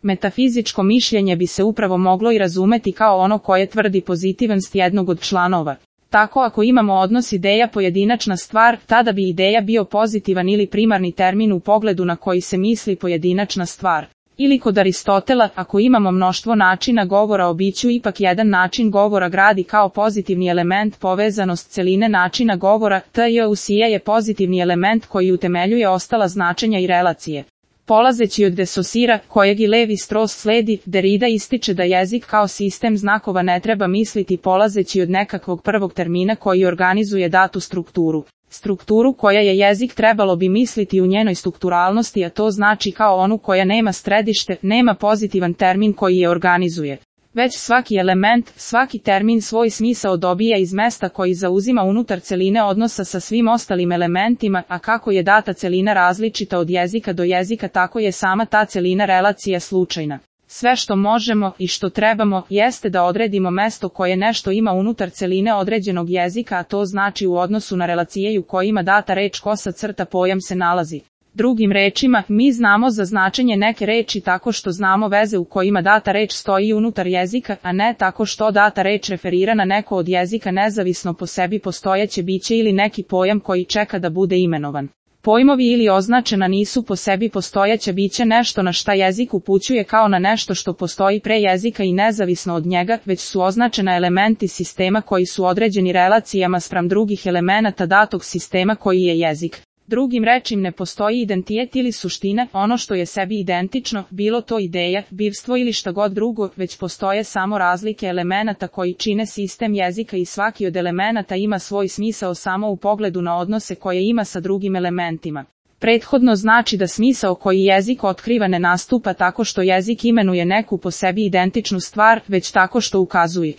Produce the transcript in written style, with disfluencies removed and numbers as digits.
Metafizičko mišljenje bi se upravo moglo i razumeti kao ono koje tvrdi pozitivnost jednog od članova. Tako ako imamo odnos ideja pojedinačna stvar, tada bi ideja bio pozitivan ili primarni termin u pogledu na koji se misli pojedinačna stvar. Ili kod Aristotela, ako imamo mnoštvo načina govora o biću, ipak jedan način govora gradi kao pozitivni element povezanost celine načina govora, t.j. je pozitivni element koji utemeljuje ostala značenja i relacije. Polazeći od de Saussure, kojeg i Levi Strauss sledi, Derrida ističe da jezik kao sistem znakova ne treba misliti polazeći od nekakvog prvog termina koji organizuje datu strukturu. Strukturu koja je jezik trebalo bi misliti u njenoj strukturalnosti, a to znači kao onu koja nema središte, nema pozitivan termin koji je organizuje. Već svaki element, svaki termin svoj smisao dobija iz mesta koji zauzima unutar celine odnosa sa svim ostalim elementima, a kako je data celina različita od jezika do jezika, tako je sama ta celina relacija slučajna. Sve što možemo i što trebamo jeste da odredimo mesto koje nešto ima unutar celine određenog jezika, a to znači u odnosu na relacije u kojima data reč kosa crta pojam se nalazi. Drugim rečima, mi znamo za značenje neke reči tako što znamo veze u kojima data reč stoji unutar jezika, a ne tako što data reč referira na neko od jezika nezavisno po sebi postojeće biće ili neki pojam koji čeka da bude imenovan. Pojmovi ili označena nisu po sebi postojeća bića nešto na šta jezik upućuje kao na nešto što postoji pre jezika i nezavisno od njega, već su označena elementi sistema koji su određeni relacijama spram drugih elemenata datog sistema koji je jezik. Drugim rečima ne postoji identitet ili suština, ono što je sebi identično, bilo to ideja, bivstvo ili šta god drugo, već postoje samo razlike elemenata koji čine sistem jezika i svaki od elemenata ima svoj smisao samo u pogledu na odnose koje ima sa drugim elementima. Prethodno znači da smisao koji jezik otkriva ne nastupa tako što jezik imenuje neku po sebi identičnu stvar, već tako što ukazuje